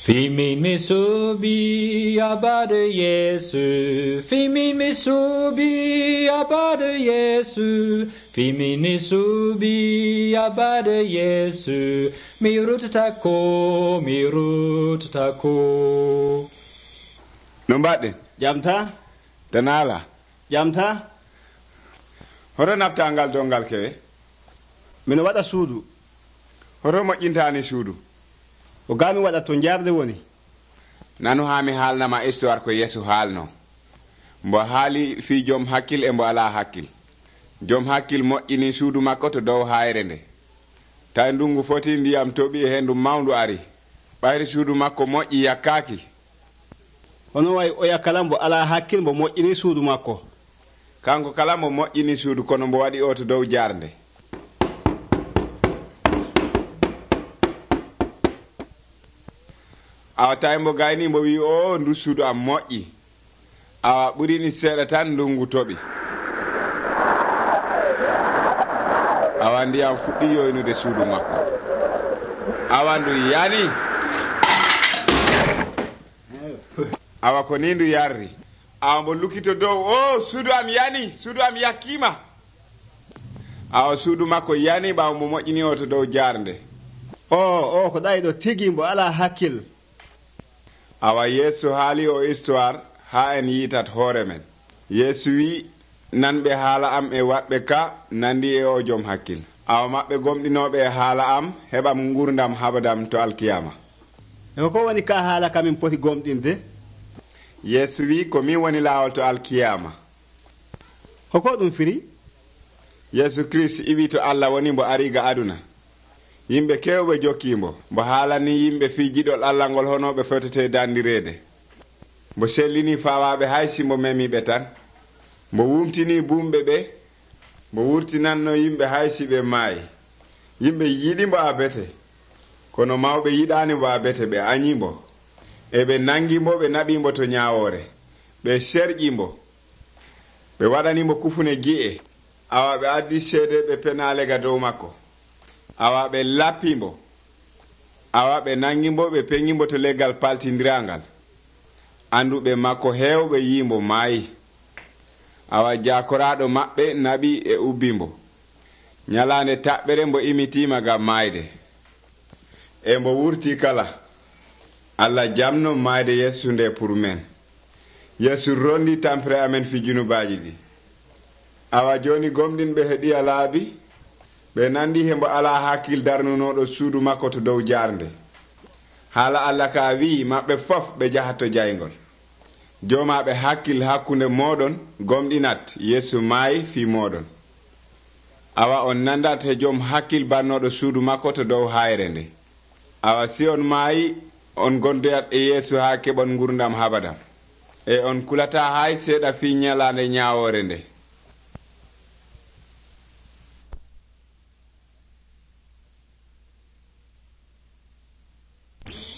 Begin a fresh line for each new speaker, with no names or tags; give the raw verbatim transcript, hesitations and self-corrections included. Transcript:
Fimi mi suubi abade Yesu, Fimi mi suubi abade Yesu, Fimi mi suubi abade Yesu, mi rutata ko, mi rutata ko.
No mbaɗɗen?
Jamta?
Danala?
Jamta?
Hoto nafta ngal dongal ke?
Mino waɗa suudu.
Hoto moƴƴintaani suudu?
O gami waɗa to jarde woni.
Nanu haa mi haalnama histoire ko Yesu haalno. Mbo haali fii joom hakkil e mbo alaa hakkil. Joom hakkil moƴƴini suudu makko to dow hayre nde. Tawi ndungu foti ndiyam toɓi e hendu mawndu ari. Ɓayri suudu makko moƴƴi yakkaaki.
Hono way o yakkala mbo alaa hakkil mbo moƴƴini suudu makko.
Kanko kala mbo moƴƴini suudu kono mbo waɗi o to dow jarnde. Awa tawi mbo gayni mbo wi o ndu suudu am moƴƴi. Awa ɓurini seeɗa tan ndungu toɓi. Awa ndiyam fuɗɗi yoynude suudu makko. Awa ndu yani. Awa ko ni ndu yarri. Awa mbo lukkito dow o suudu am yani, suudu am yakkima. Awa suudu makko yani ɓawo mbo moƴƴini o to dow jarnde.
O o ko ɗayɗo tigi mbo alaa hakkil.
Awa Yesu haali o histoire ha en yitat hoore men. Yesu wi nanɓe haala am e waɗɓe ka nandi e o joom hakkil. Awa maɓɓe gomɗinoɓe e haala am heɓam gurdam habadam to alkiyama.
E ko woni ka haala kamin poti gomɗinde?
Yesu wi ko min woni laawol to alkiyama.
Hoko ɗum firi?
Yesu Christ iwi to Allah woni mbo ariga aduna. Yimɓe kewɓe jokkimbo mbo haalani yimɓe fii jiɗol Allah ngol honoɓe fotete dandirede. Mbo sellini fawaɓe haysi mbo memiɓe tan. Mbo wumtini bumɓe ɓe. Mbo wurtinanno yimɓe haysi ɓe maayi. Yimɓe yiɗi mbo abete. Kono mawɓe yiɗani mbo abete ɓe añimbo. E ɓe nangimbo ɓe naɓimbo to ñawore. Ɓe serƴimbo. Ɓe waɗanimo kufune gi'e. Awa ɓe addi seede ɓe penalega dow makko. Awa ɓe lappimbo. Awa ɓe nangimbo ɓe peŋimbo to leggal paltindirangal. Anduɓe makko hewɓe yimbo maayi. Awa jakoraɗo maɓɓe naɓi e ubbimbo. Nyalande taɓɓere mbo imitima gam mayde. E mbo wurti kala. Allah jamno mayde Yesu nde pour men. Yesu rondi tampere amen fi junubaji ɗi. Awa joni gomɗinɓe heɗiya laabi. Ɓe nandi hembo ala hakkil darnunoɗo suudu makko to dow jarnde. Haala Allah ka wi maɓɓe fof ɓe jahatto jaygol. Jomaɓe hakkil hakkunde moɗon gomɗinat Yesu maayi fi moɗon. Awa on nandat he joom hakkil bannoɗo suudu makko to dow hayre nde. Awa si on maayi on gondoyat e Yesu ha keɓon gurdam habadam. E on kulata hay seeɗa fi ñalande ñawore nde.